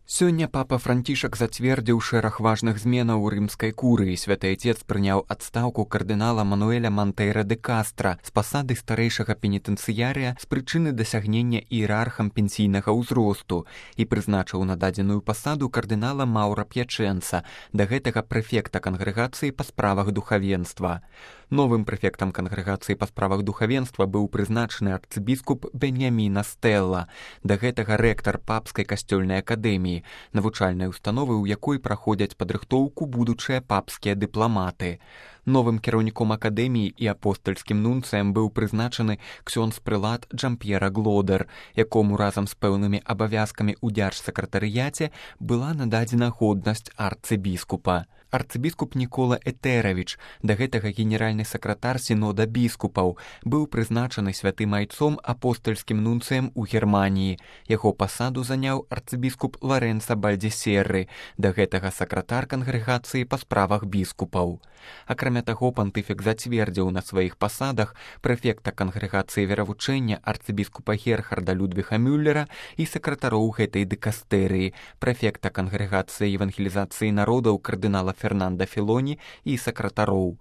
Сёння папа Францішак зацвердзіў шэраг важных зменаў у рымскай курыі. Святы Отец прыняў адстаўку кардынала Мануэля Монтейра де Кастра з пасады старэйшага пенітэнцыярыя з прычыны дасягнення іерархам пенсійнага ўзросту і прызначыў на дадзеную пасаду кардынала Маўра П'ячэнца, да гэтага прэфекта кангрэгацыі па справах духавенства. Новым прэфектам кангрэгацыі па справах духавенства быў прызначаны арцыбіскуп Беньяміна Стэлла, да гэтага рэктар папскай касцёльнай акадэміі, навучальнай установы, у якой праходзяць падрыхтоўку будучыя папскія дыпламаты. Новым кіраўніком акадэміі і апостальскім нунцыем быў прызначаны ксёндз-прылад Джамп'ера Глодер, якому разам з пэўнымі абавязкамі ў дзяржсакратарыяце была нададзена годнасць арцыбіскупа. Арцыбіскуп Нікола Этэравіч, да гэтага генеральны сакратар сінода біскупаў, быў прызначаны святым айцом апостальскім нунцыем у Германіі. Яго пасаду заняў арцыбіскуп Ларэнца Бальдзесерры, да гэтага сакратар кангрэгацыі па справах біскупаў. Акрамя таго, пантыфік зацвердзіў на сваіх пасадах прэфекта кангрэгацыі веравучэння арцыбіскупа Герхарда Людвіга Мюллера і сакратароў гэтай дыкастэрыі, прэфекта кангрэгацыі евангелізацыі народаў кардынала Фернанда Філоні і сакратароў.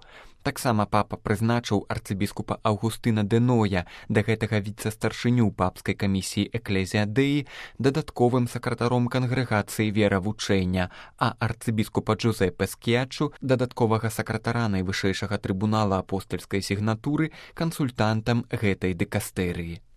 Таксама папа прызначыў арцыбіскупа Аўгустына де Ноя, да гэтага віцэ-старшыню папскай камісіі Экклезія Дэі, дадатковым сакратаром кангрэгацыі веравучэння, а арцыбіскупа Джузеппе Скіяччу, дадатковага сакратара найвышэйшага трыбунала апостальскай сігнатуры, кансультантам гэтай дыкастэрыі.